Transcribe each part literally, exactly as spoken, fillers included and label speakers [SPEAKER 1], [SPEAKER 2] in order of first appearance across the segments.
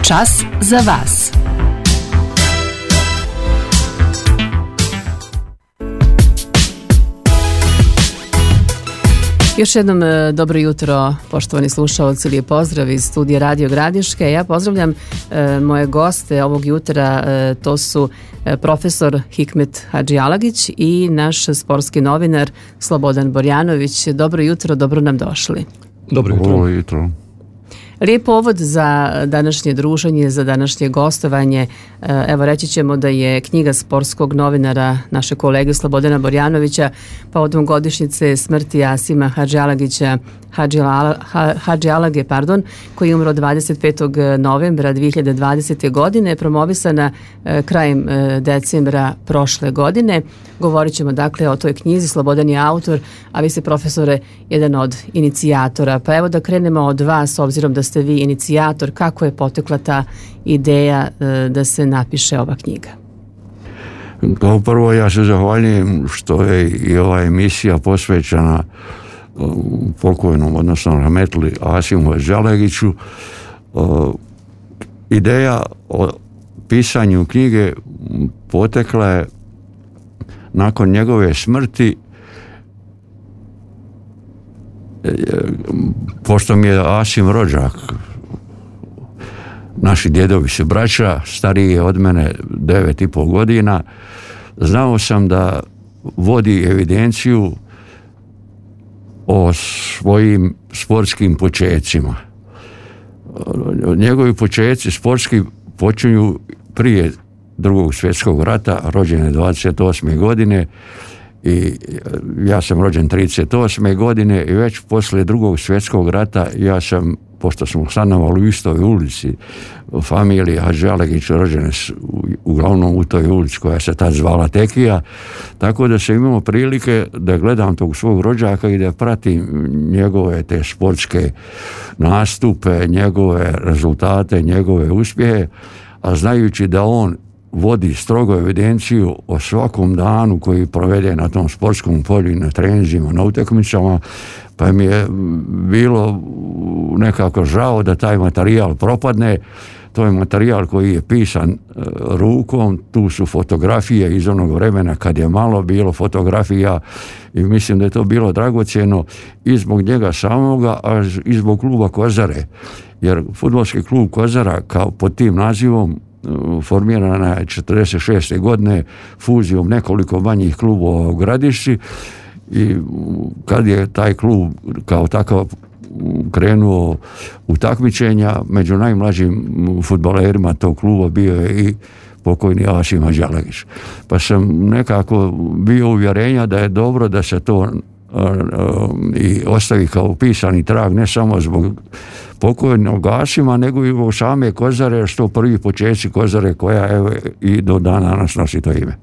[SPEAKER 1] Čas za vas. Još jednom dobro jutro, poštovani slušaoci, lijep pozdrav iz studija Radio Gradiške. Ja pozdravljam e, moje goste ovog jutra, e, to su e, profesor Hikmet Hadžialagić i naš sportski novinar Slobodan Borjanović. Dobro jutro, dobro nam došli.
[SPEAKER 2] Dobro jutro. Dobro jutro.
[SPEAKER 1] Lijep povod za današnje druženje, za današnje gostovanje. Evo, reći ćemo da je knjiga sportskog novinara naše kolege Slobodana Borjanovića povodom godišnjice smrti Asima Hadžialagića, Hadžialage, pardon, koji je umro dvadeset petog novembra dvije hiljade dvadesete. godine, promovisana krajem decembra prošle godine. Govorit ćemo dakle o toj knjizi. Slobodan je autor, a vi ste, profesore, jedan od inicijatora. Pa evo da krenemo od vas, obzirom da ste vi inicijator, kako je potekla ta ideja da se napiše ova knjiga?
[SPEAKER 2] Kao prvo, ja se zahvaljujem što je i ova emisija posvećena pokojnom, odnosno rahmetli Asimu Hadžialagiću. Ideja o pisanju knjige potekla je nakon njegove smrti, pošto mi je Asim rođak. Naši djedovi su braća, stariji je od mene devet i pol godina. Znao sam da vodi evidenciju o svojim sportskim počecima. Njegovi počeci sportski počinju prije drugog svjetskog rata, rođen je dvadeset osme. godine i ja sam rođen trideset osme. godine i već poslije drugog svjetskog rata ja sam, pošto smo stanovali u istoj ulici, familije Hadžialagić rođene uglavnom u toj ulici koja se tad zvala Tekija, tako da sam imao prilike da gledam tog svog rođaka i da pratim njegove te sportske nastupe, njegove rezultate, njegove uspjehe, a znajući da on vodi strogo evidenciju o svakom danu koji provede na tom sportskom polju, na treninzima, na utakmicama, pa mi je bilo nekako žao da taj materijal propadne. To je materijal koji je pisan rukom, tu su fotografije iz onog vremena kad je malo bilo fotografija i mislim da je to bilo dragocjeno i zbog njega samoga, a i zbog kluba Kozare, jer fudbalski klub Kozara kao pod tim nazivom formirana je četrdeset šeste. godine fuzijom nekoliko manjih klubova u Gradišci i kad je taj klub kao takav krenuo u takmičenja, među najmlađim fudbalerima tog kluba bio je i pokojni Asim Hadžialagić. Pa sam nekako bio uvjerenja da je dobro da se to i ostavi kao pisani trag, ne samo zbog pokojnog Asima, nego i u same Kozare, što prvi počeci Kozare koja evo i do dana nas nosi to ime.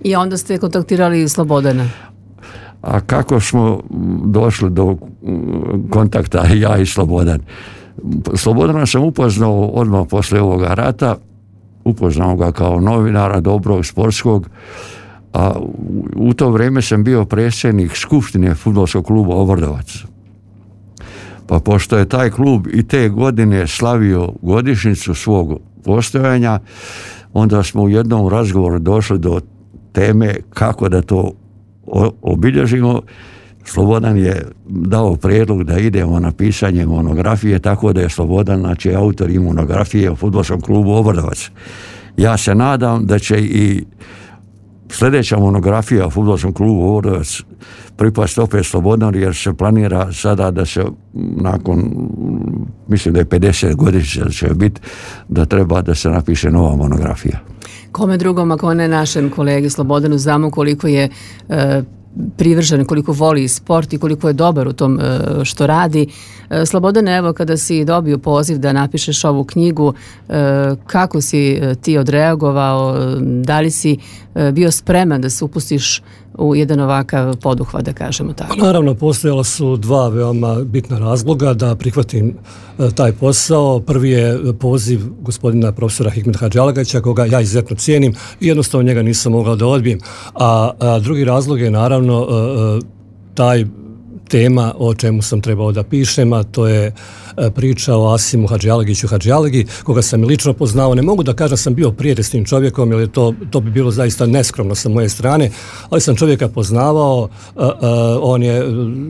[SPEAKER 1] I onda ste kontaktirali Slobodana?
[SPEAKER 2] A kako smo došli do kontakta ja i Slobodan? Slobodana sam upoznao odmah poslije ovoga rata, upoznao ga kao novinara dobrog, sportskog, a u to vrijeme sam bio predsjednik skupštine fudbalskog kluba Obrdovac. Pa pošto je taj klub i te godine slavio godišnjicu svog postojanja, onda smo u jednom razgovoru došli do teme kako da to obilježimo. Slobodan je dao prijedlog da idemo na pisanje monografije, tako da je Slobodan, znači, autor i monografije o fudbalskom klubu Obrdovac. Ja se nadam da će i sljedeća monografija o fudbalskom klubu Obrdovac pripasti opet Slobodanu, jer se planira sada da se nakon, mislim da je pedeset godina će biti, da treba da se napiše nova monografija.
[SPEAKER 1] Kome drugom, ako ne našem kolegi Slobodanu, znamo koliko je e, privržen, koliko voli sport i koliko je dobar u tom e, što radi. E, Slobodane, evo, kada si dobio poziv da napišeš ovu knjigu, e, kako si e, ti odreagovao, da li si e, bio spreman da se upustiš u jedan ovakav poduhvat, da kažemo tako?
[SPEAKER 3] Naravno, postojala su dva veoma bitna razloga da prihvatim e, taj posao. Prvi je poziv gospodina profesora Hikmeta Hadžialagića, koga ja izuzetno cijenim i jednostavno njega nisam mogao da odbijem. A, a drugi razlog je naravno e, taj tema o čemu sam trebao da pišem, a to je priča o Asimu Hadžialegiću Hadžialegi, koga sam i lično poznao. Ne mogu da kažem da sam bio prijatelj s tim čovjekom, jer je to, to bi bilo zaista neskromno sa moje strane, ali sam čovjeka poznavao, uh, uh, on je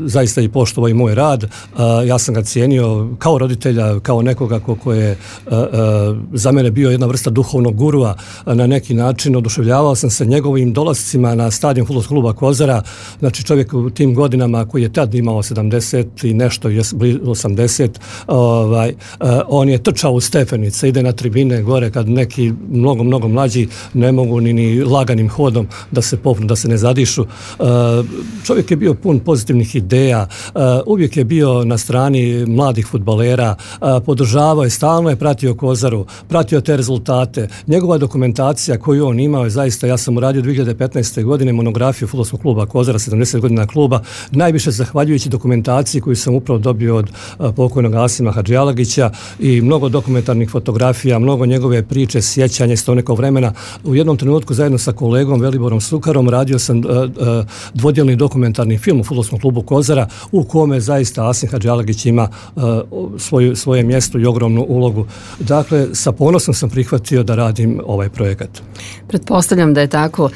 [SPEAKER 3] zaista i poštovao i moj rad, uh, ja sam ga cijenio kao roditelja, kao nekoga ko, ko je uh, uh, za mene bio jedna vrsta duhovnog gurua, uh, na neki način oduševljavao sam se njegovim dolascima na stadion fudbalskog kluba Kozara, znači čovjek u tim godinama koji je tad imao sedamdeset i nešto, osamdeset, ovaj, uh, on je trčao u stepenice, ide na tribine gore kad neki mnogo, mnogo mlađi ne mogu ni, ni laganim hodom da se popnu, da se ne zadišu. Uh, čovjek je bio pun pozitivnih ideja, uh, uvijek je bio na strani mladih fudbalera, uh, podržavao je, stalno je pratio Kozaru, pratio te rezultate. Njegova dokumentacija koju on imao je zaista, ja sam uradio dvije hiljade petnaeste. godine monografiju fudbalskog kluba Kozara, sedamdeset godina kluba, najviše zahvaljujući dokumentaciji koju sam upravo dobio od uh, pokojnog Asima Hadžialegića i mnogo dokumentarnih fotografija, mnogo njegove priče, sjećanja iz tog nekog vremena. U jednom trenutku zajedno sa kolegom Veliborom Sukarom radio sam uh, uh, dvodjelni dokumentarni film u fudbalskom klubu Kozara u kome zaista Asim Hadžialegić ima uh, svoju, svoje mjesto i ogromnu ulogu. Dakle, sa ponosom sam prihvatio da radim ovaj projekat.
[SPEAKER 1] Pretpostavljam da je tako.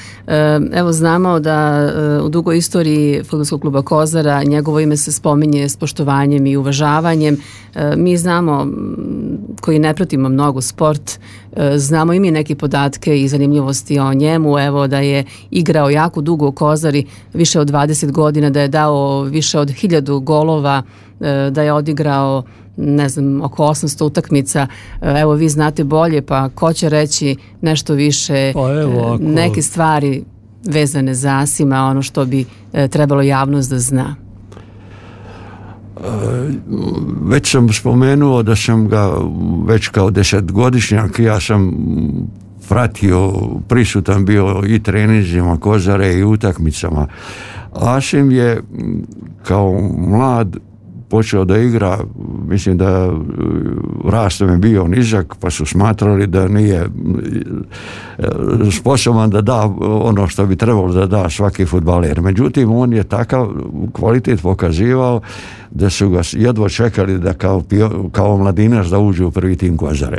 [SPEAKER 1] Evo, znamo da u dugoj istoriji fudbalskog kluba Kozara njegovo ime se spominje s poštovanjem i uvažavanjem. Mi znamo, koji ne pratimo mnogo sport, znamo i mi neke podatke i zanimljivosti o njemu. Evo, da je igrao jako dugo u Kozari, više od dvadeset godina, da je dao više od hiljadu golova, da je odigrao ne znam, oko osamsto utakmica. Evo, vi znate bolje, pa ko će reći nešto više,
[SPEAKER 3] pa evo, ako...
[SPEAKER 1] neke stvari vezane za Asima, ono što bi trebalo javnost da zna.
[SPEAKER 2] Već sam spomenuo da sam ga već kao desetgodišnjak, ja sam pratio, prisutan bio i treninzima Kozare i utakmicama. Asim je kao mlad počeo da igra, mislim da rastom je bio nizak, pa su smatrali da nije sposoban da da ono što bi trebalo da da svaki fudbaler. Međutim, on je takav kvalitet pokazivao da su ga jedva čekali da kao, kao mladinac da uđe u prvi tim Kozare.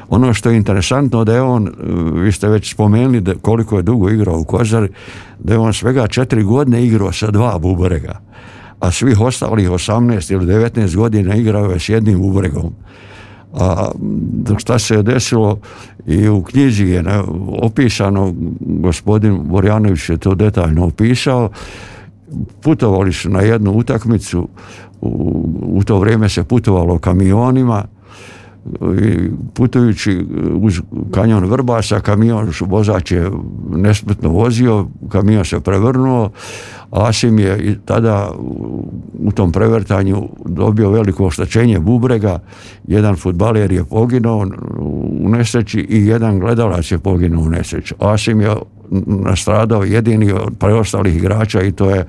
[SPEAKER 2] Ono što je interesantno da je on, vi ste već spomenuli da koliko je dugo igrao u Kozari, da je on svega četiri godine igrao sa dva bubrega, a svih ostalih osamnaest ili devetnaest godina igrao je s jednim bubregom. A šta se je desilo i u knjizi je opisano, gospodin Borjanović je to detaljno opisao, putovali su na jednu utakmicu, u, u to vrijeme se putovalo kamionima, i putujući uz kanjon Vrbasa, kamion vozač je nespretno vozio, kamion se prevrnuo, Asim je tada u tom prevrtanju dobio veliko oštećenje bubrega, jedan fudbaler je poginuo u nesreći i jedan gledalac je poginuo u nesreći. Asim je nastradao jedini od preostalih igrača i to je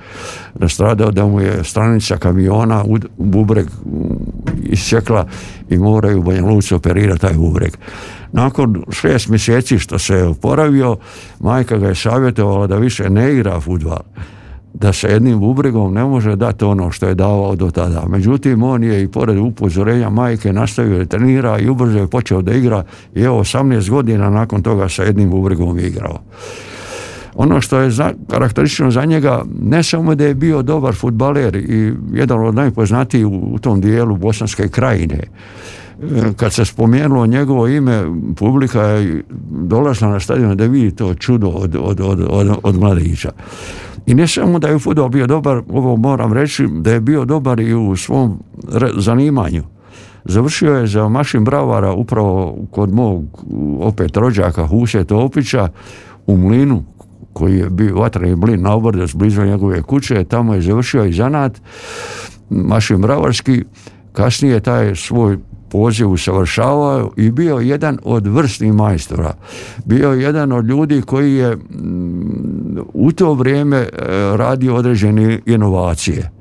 [SPEAKER 2] nastradao da mu je stranica kamiona u bubreg isjekla i moraju u Banja Luci operirati taj bubreg. Nakon šest mjeseci što se je oporavio, majka ga je savjetovala da više ne igra fudbal, da se jednim bubregom ne može dati ono što je davao do tada. Međutim, on je i pored upozorenja majke nastavio da trenira i ubrzo je počeo da igra i evo osamnaest godina nakon toga sa jednim bubregom igrao. Ono što je za, karakteristično za njega, ne samo da je bio dobar fudbaler i jedan od najpoznatijih u, u tom dijelu Bosanske krajine. Kad se spomenulo njegovo ime, publika je dolazila na stadion da vidi to čudo od, od, od, od, od mladića. I ne samo da je u fudbalu bio dobar, ovo moram reći, da je bio dobar i u svom zanimanju. Završio je za mašin bravara upravo kod mog opet rođaka Huse Topića u mlinu, koji je bio vatreni mlin na Obrdac blizu njegove kuće, tamo je završio i zanat mašin bravarski, kasnije taj svoj poziv usavršavao i bio jedan od vrsnih majstora. Bio jedan od ljudi koji je u to vrijeme radio određene inovacije.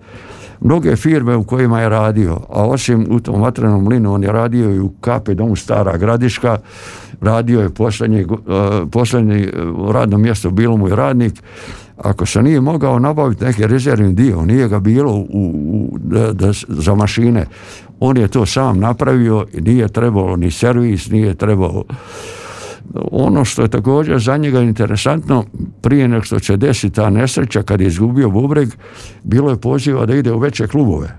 [SPEAKER 2] Mnoge firme u kojima je radio, a osim u tom vatrenom mlinu, on je radio i u K P domu Stara Gradiška, radio je posljednje, posljednje radno mjesto, bilo mu je radnik, ako se nije mogao nabaviti neki rezervni dio, nije ga bilo u, u, da, da, za mašine, on je to sam napravio i nije trebalo ni servis, nije trebalo. Ono što je također za njega interesantno, prije nego što će desiti ta nesreća, kad je izgubio bubreg, bilo je poziva da ide u veće klubove.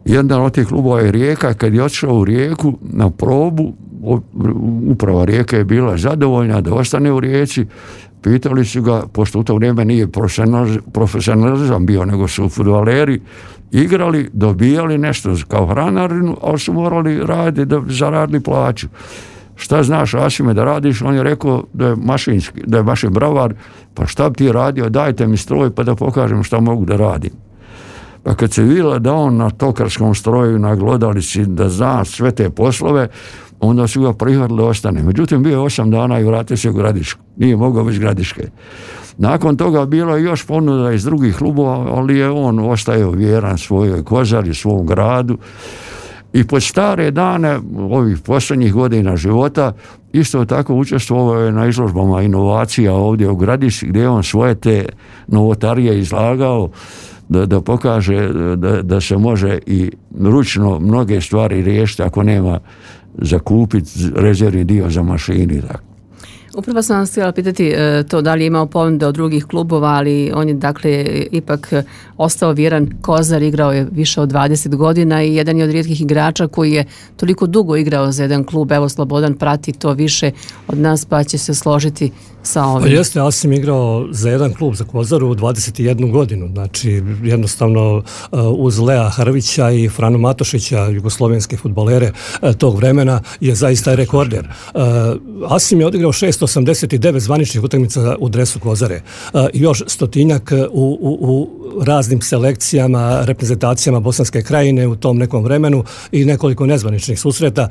[SPEAKER 2] Jedan od tih klubova je Rijeka, kad je otišao u Rijeku na probu, uprava Rijeke je bila zadovoljna da ostane u Rijeci, pitali su ga, pošto u to vrijeme nije profesionalizam bio, nego su fudbaleri igrali, dobijali nešto kao hranarinu, ali su morali raditi da zaradili plaću. Šta znaš, Asime, da radiš? On je rekao da je mašinski, da je mašin bravar, pa šta bi ti radio, dajte mi stroj pa da pokažem šta mogu da radim. Pa kad se vidjela da on na tokarskom stroju, na glodalici, da zna sve te poslove, onda su ga prihvatili da ostane. Međutim, bio je osam dana i vratio se u Gradišku. Nije mogao bez Gradiške. Nakon toga bilo je još ponuda iz drugih klubova, ali je on ostajao vjeran svojoj Kozari, svom gradu. I pod stare dane ovih posljednjih godina života isto tako učestvovao je na izložbama inovacija ovdje u Gradišci, gdje je on svoje te novotarije izlagao da, da pokaže da, da se može i ručno mnoge stvari riješiti ako nema zakupiti rezervni dio za mašini. Tako.
[SPEAKER 1] Upravo sam vas htjela pitati to da li je imao ponude od drugih klubova, ali on je dakle ipak ostao vjeran Kozar, igrao je više od dvadeset godina i jedan je od rijetkih igrača koji je toliko dugo igrao za jedan klub. Evo, Slobodan prati to više od nas, pa će se složiti sa ovim.
[SPEAKER 3] Pa jeste, ja sam igrao za jedan klub, za Kozaru, dvadeset jednu godinu. Znači, jednostavno uz Lea Hrvića i Franu Matošića, jugoslovenske fudbalere tog vremena, je zaista rekorder. Asim je odigrao šesto osamdeset devet zvaničnih utakmica u dresu Kozare. I još stotinjak u, u, u raznim selekcijama, reprezentacijama Bosanske Krajine u tom nekom vremenu i nekoliko nezvaničnih susreta.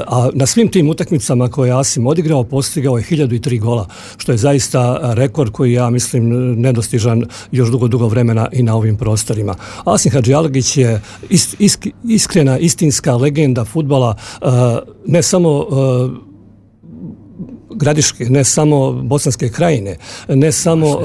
[SPEAKER 3] A na svim tim utakmicama koje Asim odigrao, postigao je hiljadu tri gola, što je zaista rekord koji ja mislim nedostižan još dugo, dugo vremena i na ovim prostorima. Asim Hadžialgić je ist, isk, iskrena, istinska legenda fudbala, ne samo Gradiške, ne samo Bosanske Krajine, ne samo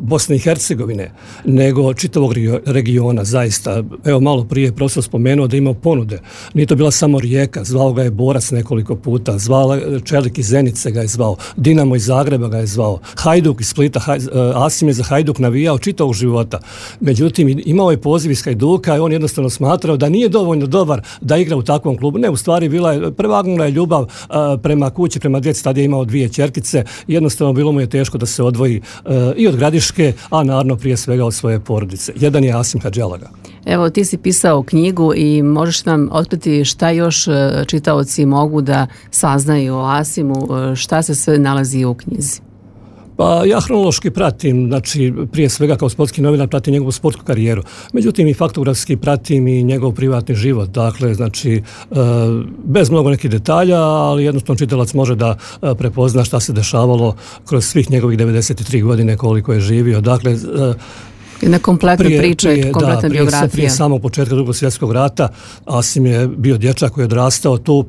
[SPEAKER 3] Bosne i Hercegovine, nego čitavog regiona, zaista. Evo, malo prije profesor spomenuo da imao ponude. Nije to bila samo Rijeka, zvao ga je Borac nekoliko puta, zvao Čelik iz Zenice ga je zvao, Dinamo iz Zagreba ga je zvao, Hajduk iz Splita, Haj, Asim je za Hajduk navijao čitavog života. Međutim, imao je poziv iz Hajduka i on jednostavno smatrao da nije dovoljno dobar da igra u takvom klubu. Ne, u stvari bila je, prevagnula je ljubav prema kući, prema djeci, tada je imao dvije ćerkice, jednostavno bilo mu je teško da se odvoji i od Gradiške, a naravno prije svega od svoje porodice. Jedan je Asim Hadžialaga.
[SPEAKER 1] Evo, ti si pisao knjigu i možeš nam otkriti šta još čitaoci mogu da saznaju o Asimu, šta se sve nalazi u knjizi?
[SPEAKER 3] Pa ja hronološki pratim, znači prije svega kao sportski novinar pratim njegovu sportsku karijeru. Međutim i faktografski pratim i njegov privatni život. Dakle, znači bez mnogo nekih detalja, ali jednostavno čitalac može da prepozna šta se dešavalo kroz svih njegovih devedeset tri godine koliko je živio. Dakle,
[SPEAKER 1] jedna kompletna prije, priča, prije, kompletna
[SPEAKER 3] da,
[SPEAKER 1] biografija.
[SPEAKER 3] Prije, prije samog početka Drugog svjetskog rata Asim je bio dječak koji je odrastao tu.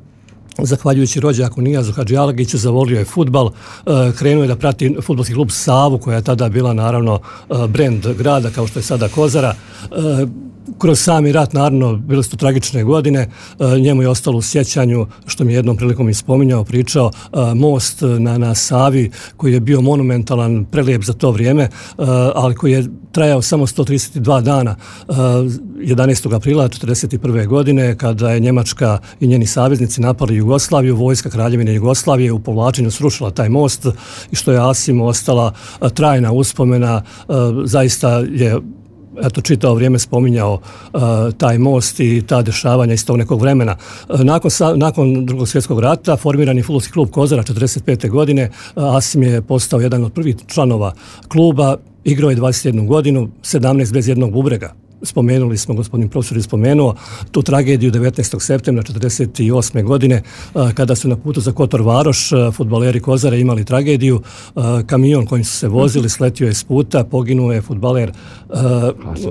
[SPEAKER 3] Zahvaljujući rođaku Nijazu Hadžialagiću, zavolio je fudbal, krenuo je da prati fudbalski klub Savu, koja je tada bila naravno brend grada kao što je sada Kozara. Kroz sami rat, naravno, bile su to tragične godine, njemu je ostalo u sjećanju, što mi je jednom prilikom ispominjao, pričao, most na, na Savi, koji je bio monumentalan, prelijep za to vrijeme, ali koji je trajao samo sto trideset dva dana, jedanaestog aprila četrdeset prve godine, kada je Njemačka i njeni saveznici napali Jugoslaviju, vojska Kraljevine Jugoslavije u povlačenju srušila taj most i što je Asimu ostala trajna uspomena, zaista je eto, čitao vrijeme spominjao uh, taj most i ta dešavanja iz tog nekog vremena. Uh, nakon, sa, nakon Drugog svjetskog rata formiran je fudbalski klub Kozara četrdeset pete godine. Uh, Asim je postao jedan od prvih članova kluba, igrao je dvadeset jednu godinu, sedamnaest bez jednog bubrega. spomenuli smo, gospodin profesor je spomenuo, tu tragediju devetnaestog septembra četrdeset osme godine, kada su na putu za Kotor Varoš fudbaleri Kozara imali tragediju. Kamion kojim su se vozili sletio je s puta, poginuo je fudbaler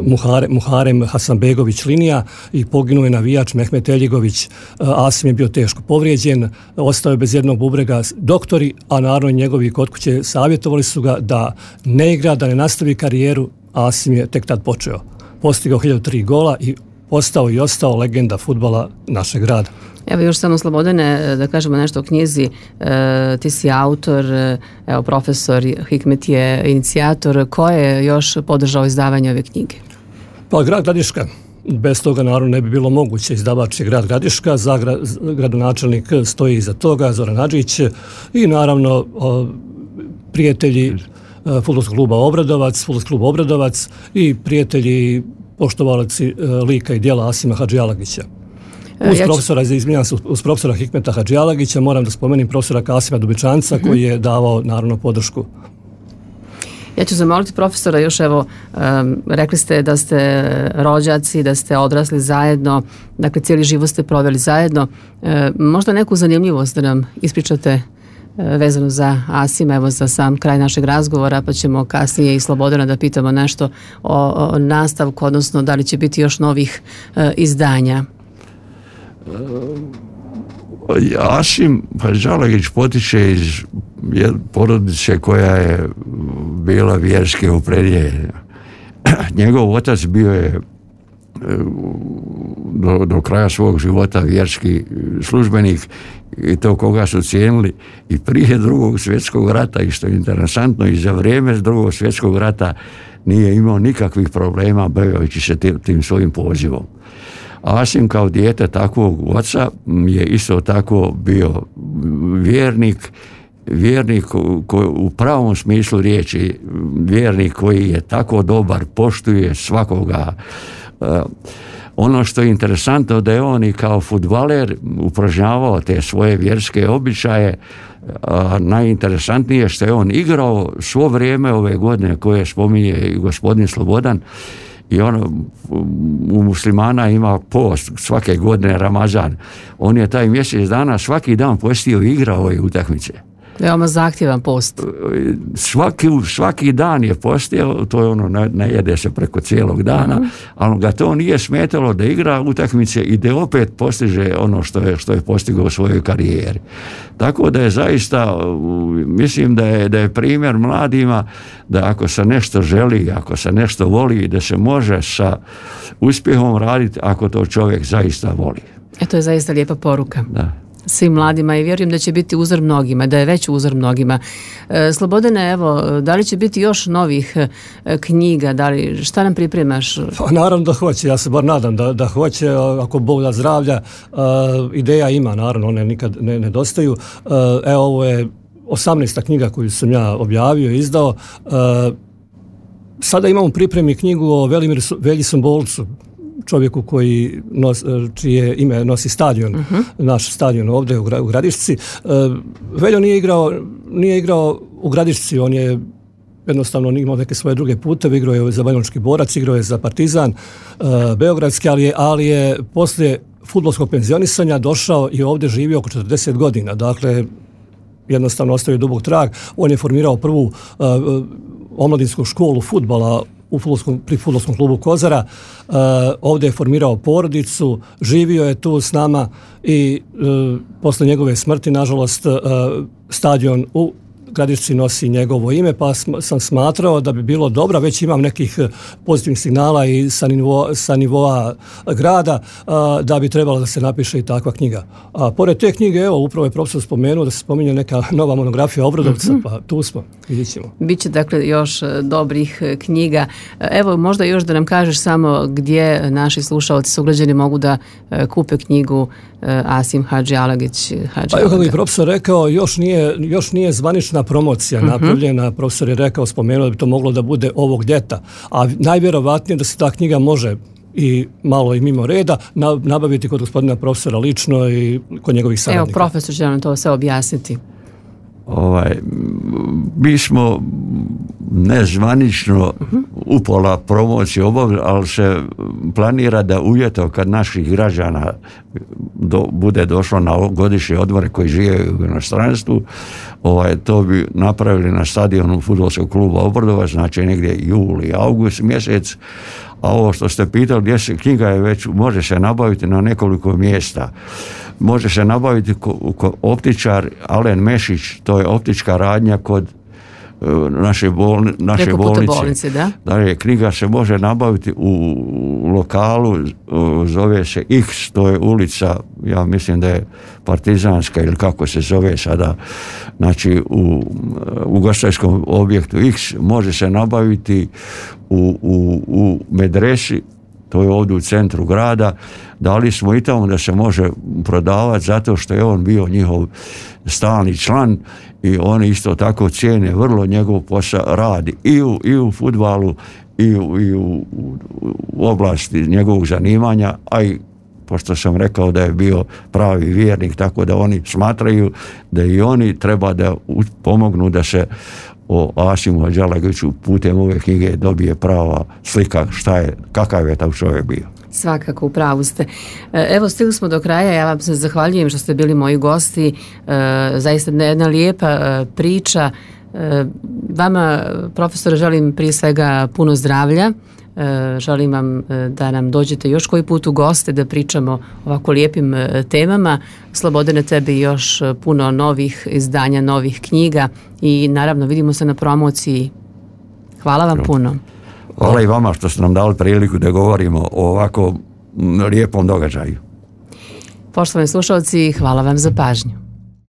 [SPEAKER 3] Muhare, Muharem Hasanbegović Linija i poginuo je navijač Mehmet Eljigović. Asim je bio teško povrijeđen, ostao je bez jednog bubrega. Doktori, a naravno i njegovi kod kuće, savjetovali su ga da ne igra, da ne nastavi karijeru. Asim je tek tad počeo. Postigao hiljadu tri gola i postao i ostao legenda fudbala našeg grada.
[SPEAKER 1] Evo još samo Slobodane, da kažemo nešto o knjizi. E, ti si autor, evo profesor Hikmet je inicijator. Ko je još podržao izdavanje ove knjige?
[SPEAKER 3] Pa grad Gradiška. Bez toga naravno ne bi bilo moguće. Izdavač je grad Gradiška, zagra, gradonačelnik stoji iza toga, Zoran Hadžić, i naravno o, prijatelji Fudbalskog kluba Obradovac, Fudbalskog kluba Obradovac i prijatelji poštovalaci lika i djela Asima Hadžialagića. Uz, ja profesora, ću... izminjam se, uz profesora Hikmeta Hadžialagića moram da spomenim profesora Kasima Dubičanca, uh-huh. koji je davao naravno podršku.
[SPEAKER 1] Ja ću zamoliti profesora još, evo, um, rekli ste da ste rođaci, da ste odrasli zajedno, dakle cijeli život ste proveli zajedno. E, možda neku zanimljivost da nam ispričate vezano za Asima, evo za sam kraj našeg razgovora, pa ćemo kasnije i Slobodana da pitamo nešto o, o nastavku, odnosno da li će biti još novih e, izdanja.
[SPEAKER 2] Asim Hadžialagić potiče iz porodice koja je bila vjerski opredjeljena. Njegov otac bio je do, do kraja svog života vjerski službenik i to koga su cijenili i prije drugog svjetskog rata, i što je interesantno, i za vrijeme drugog svjetskog rata nije imao nikakvih problema baveći se tim, tim svojim pozivom. Asim kao dijete takvog oca je isto tako bio vjernik, vjernik koji u pravom smislu riječi, vjernik koji je tako dobar, poštuje svakoga. Ono što je interesantno da je on i kao fudbaler upražnjavao te svoje vjerske običaje. A najinteresantnije što je on igrao svo vrijeme ove godine koje spominje i gospodin Slobodan, i on u muslimana ima post svake godine Ramazan. On je taj mjesec dana svaki dan postio i igrao ove utakmice.
[SPEAKER 1] Veoma zahtjevan post.
[SPEAKER 2] Svaki, svaki dan je postio, to je ono, ne, ne jede se preko cijelog dana, uh-huh. ali ga to nije smetalo da igra utakmice i da opet postiže ono što je, što je postigao u svojoj karijeri. Tako da je zaista, mislim da je, da je primjer mladima da ako se nešto želi, ako se nešto voli, da se može sa uspjehom raditi ako to čovjek zaista voli.
[SPEAKER 1] E, to je zaista lijepa poruka.
[SPEAKER 2] Da.
[SPEAKER 1] Svim mladima i vjerujem da će biti uzor mnogima, da je već uzor mnogima. E, Slobodane, evo, da li će biti još novih e, knjiga, da li, šta nam pripremaš?
[SPEAKER 3] Pa naravno da hoće, ja se bar nadam da, da hoće, ako Bog da zdravlja, e, ideja ima, naravno, one nikad ne nedostaju. E, evo, ovo je osamnaesta knjiga koju sam ja objavio i izdao. E, sada imamo u pripremi knjigu o Velimiru Velji Sombolcu, čovjeku koji nos, čije ime nosi stadion, uh-huh. naš stadion ovdje u, u Gradišci. Uh, Veljo nije igrao, nije igrao u Gradišci, on je jednostavno imao neke svoje druge puteve, igrao je za Banjalučki Borac, igrao je za Partizan uh, Beogradski, ali je, ali je poslije fudbalskog penzionisanja došao i ovdje živio oko četrdeset godina. Dakle, jednostavno ostavio dubok trag. On je formirao prvu uh, omladinsku školu fudbala u fudbalskom, pri Fudbalskom klubu Kozara. Uh, ovdje je formirao porodicu, živio je tu s nama i uh, posle njegove smrti, nažalost, uh, stadion u Gradišci nosi njegovo ime, pa sam smatrao da bi bilo dobro, već imam nekih pozitivnih signala i sa, nivo, sa nivoa grada, a, da bi trebalo da se napiše i takva knjiga. A pored te knjige, evo, upravo je profesor spomenuo da se spominje neka nova monografija Obradovca, mm-hmm. pa tu smo, vidjet ćemo.
[SPEAKER 1] Biće dakle još dobrih knjiga. Evo, možda još da nam kažeš samo gdje naši slušalci, sugrađani mogu da kupe knjigu Asim Hadžialagić.
[SPEAKER 3] Pa evo, kako je profesor rekao, još nije, još nije zvanična promocija uh-huh. napravljena. Profesor je rekao, spomenuo da bi to moglo da bude ovog ljeta. A najvjerovatnije da se ta knjiga može i malo i mimo reda nabaviti kod gospodina profesora lično i kod njegovih saradnika.
[SPEAKER 1] Evo, profesor će nam to sve objasniti.
[SPEAKER 2] ovaj, mi smo nezvanično upola promociju obavili, ali se planira da uvjeto kad naših građana do, bude došlo na godišnje odmore koji žive u inostranstvu, ovaj, to bi napravili na stadionu fudbalskog kluba Obrdovac, znači negdje juli, august mjesec. A ovo što ste pitali, gdje se, knjiga je već, može se nabaviti na nekoliko mjesta. Može se nabaviti ko, ko optičar Alen Mešić, to je optička radnja kod uh, naše, bolni, naše bolnice.
[SPEAKER 1] bolnice da?
[SPEAKER 2] Dakle, knjiga se može nabaviti u lokalu, uh, zove se X, to je ulica, ja mislim da je Partizanska ili kako se zove sada, znači u ugostiteljskom objektu X, može se nabaviti u, u, u medresi, to je ovdje u centru grada. Dali smo i tamo da se može prodavati zato što je on bio njihov stalni član i oni isto tako cijene vrlo njegov posao, radi i u, i u fudbalu i u, i u, u oblasti njegovog zanimanja, a i pošto sam rekao da je bio pravi vjernik, tako da oni smatraju da i oni treba da pomognu da se o Asimu Hadžalagiću putem ove knjige dobije prava slika šta je, kakav je taj čovjek bio.
[SPEAKER 1] Svakako, u pravu ste. Evo, stigli smo do kraja, ja vam se zahvaljujem što ste bili moji gosti, zaista jedna lijepa priča. Vama, profesore, želim prije svega puno zdravlja, želim vam da nam dođete još koji put u goste da pričamo ovako lijepim temama. Slobodane, tebi još puno novih izdanja, novih knjiga i naravno vidimo se na promociji. Hvala vam puno.
[SPEAKER 2] Hvala i vama što ste nam dali priliku da govorimo o ovako lijepom događaju.
[SPEAKER 1] Poštovani slušalci, hvala vam za pažnju.